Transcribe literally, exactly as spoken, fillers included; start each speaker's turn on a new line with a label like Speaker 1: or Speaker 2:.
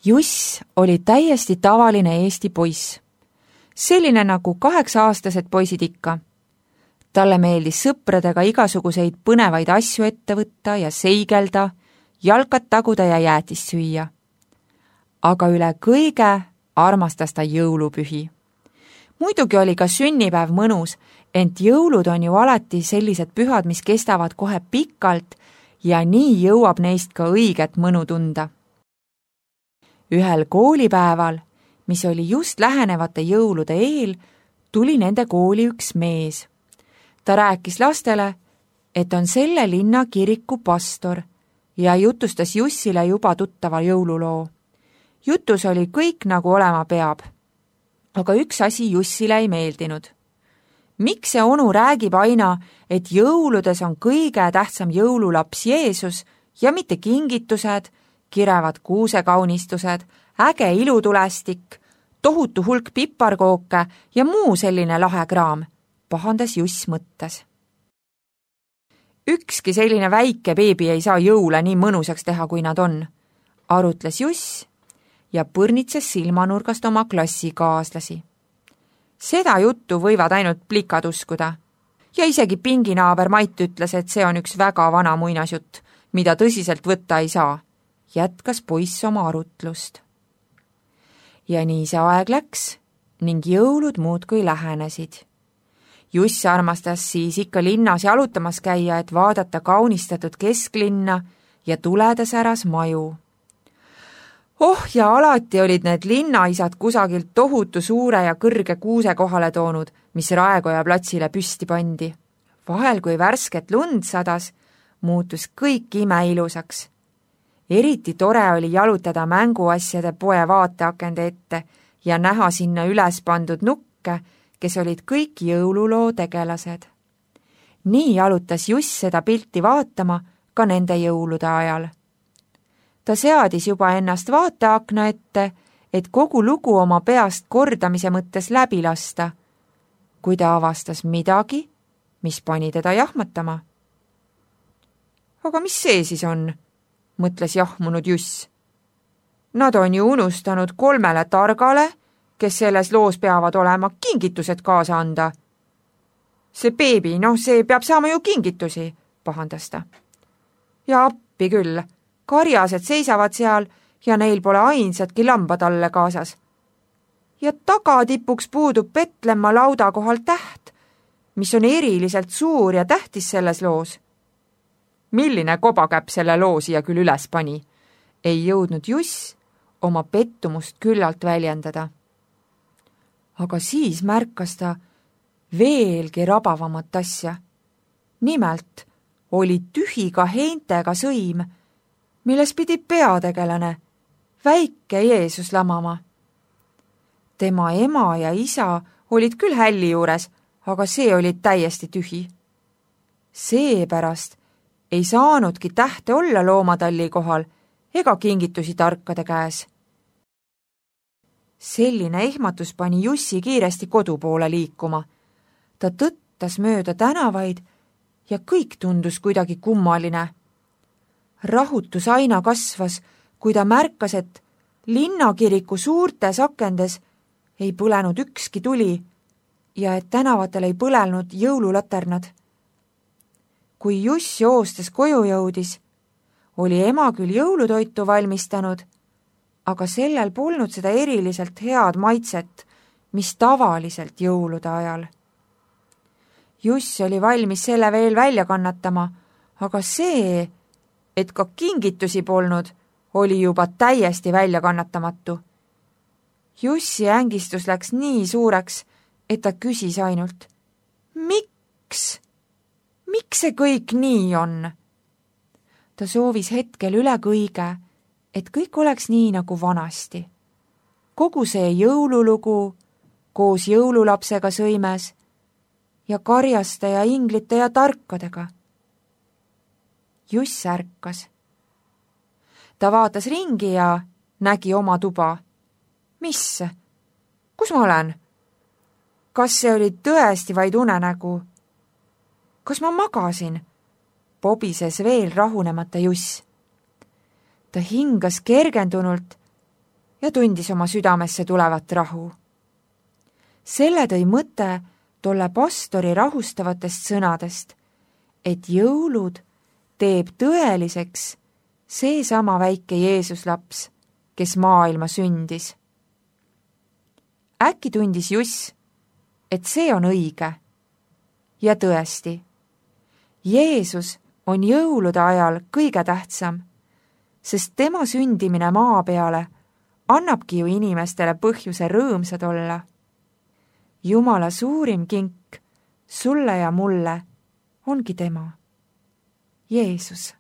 Speaker 1: Juss oli täiesti tavaline Eesti poiss. Selline nagu kaheksa-aastased poisid ikka. Talle meeldis sõpradega igasuguseid põnevaid asju ette võtta ja seigelda, jalkat taguda ja jäätist süüa. Aga üle kõige armastas ta jõulupühi. Muidugi oli ka sünnipäev mõnus, ent jõulud on ju alati sellised pühad, mis kestavad kohe pikalt ja nii jõuab neist ka õiget mõnu tunda. Ühel koolipäeval, mis oli just lähenevate jõulude eel, tuli nende kooli üks mees. Ta rääkis lastele, et on selle linna kiriku pastor ja jutustas Jussile juba tuttava jõululoo. Jutus oli kõik nagu olema peab. Aga üks asi Jussile ei meeldinud. Miks see onu räägib aina, et jõuludes on kõige tähtsam jõululaps Jeesus ja mitte kingitused, kirevad kuusekaunistused, äge ilutulestik, tohutu hulk piparkooke ja muu selline lahe kraam, pahandas Juss mõttes. Ükski selline väike beebi ei saa jõule nii mõnusaks teha, kui nad on, arutles Juss ja põrnitses silmanurgast oma klassikaaslasi. Seda juttu võivad ainult plikad uskuda. Ja isegi pinginaaber Mait ütles, et see on üks väga vana muinasjutt, mida tõsiselt võtta ei saa. Jätkas poiss oma arutlust. Ja nii see aeg läks ning jõulud muudkui lähenesid. Juss armastas siis ikka linnas jalutamas käia, et vaadata kaunistatud kesklinna ja tuledes äras maju. Oh, ja alati olid need linnaisad kusagilt tohutu suure ja kõrge kuuse kohale toonud, mis Raekoja platsile püsti pandi. Vahel, kui värsket lund sadas, muutus kõik imeilusaks. Eriti tore oli jalutada mänguasjade poe vaateakende ette ja näha sinna üles pandud nukke, kes olid kõik jõululoo tegelased. Nii jalutas Juss seda pilti vaatama ka nende jõulude ajal. Ta seadis juba ennast vaateakna ette, et kogu lugu oma peast kordamise mõttes läbi lasta, kui ta avastas midagi, mis pani teda jahmatama. Aga mis see siis on? Mõtles jahmunud Juss. Nad on ju unustanud kolmele targale, kes selles loos peavad olema, kingitused kaasa anda. See beebi, noh, see peab saama ju kingitusi, pahandas ta. Ja appi küll, karjased seisavad seal ja neil pole ainsatki lambatalle kaasas. Ja tagatipuks puudub Petlemma lauda kohal täht, mis on eriliselt suur ja tähtis selles loos. Milline kobakäpp selle loo siia küll üles pani? Ei jõudnud Juss oma pettumust küllalt väljendada. Aga siis märkas ta veelgi rabavamat asja. Nimelt oli tühi ka heintega sõim, milles pidi peategelane, väike Jeesus lamama. Tema ema ja isa olid küll hälli juures, aga see oli täiesti tühi. Seepärast ei saanudki tähte olla loomatalli kohal ega kingitusi tarkade käes. Selline ehmatus pani Jussi kiiresti kodu poole liikuma. Ta tõttas mööda tänavaid ja kõik tundus kuidagi kummaline. Rahutus aina kasvas, kui ta märkas, et linnakiriku suurtes akendes ei põlenud ükski tuli ja et tänavatel ei põlenud jõululaternad. Kui Juss joostes koju jõudis, oli ema küll jõulutoitu valmistanud, aga sellel polnud seda eriliselt head maitset, mis tavaliselt jõulude ajal. Juss oli valmis selle veel välja kannatama, aga see, et ka kingitusi polnud, oli juba täiesti välja kannatamatu. Jussi ängistus läks nii suureks, et ta küsis ainult, miks? Miks see kõik nii on? Ta soovis hetkel üle kõige, et kõik oleks nii nagu vanasti. Kogu see jõululugu koos jõululapsega sõimes ja karjaste ja inglite ja tarkadega. Juss ärkas. Ta vaatas ringi ja nägi oma tuba. Mis? Kus ma olen? Kas see oli tõesti vaid unenägu? Kas ma magasin? Pobises veel rahunemata Juss. Ta hingas kergendunult ja tundis oma südamesse tulevat rahu. Selle tõi mõte tolle pastori rahustavatest sõnadest, et jõulud teeb tõeliseks seesama väike Jeesuslaps, kes maailma sündis. Äkki tundis Juss, et see on õige. Ja tõesti, Jeesus on jõulude ajal kõige tähtsam, sest tema sündimine maa peale annabki ju inimestele põhjuse rõõmsad olla. Jumala suurim kink sulle ja mulle ongi tema, Jeesus.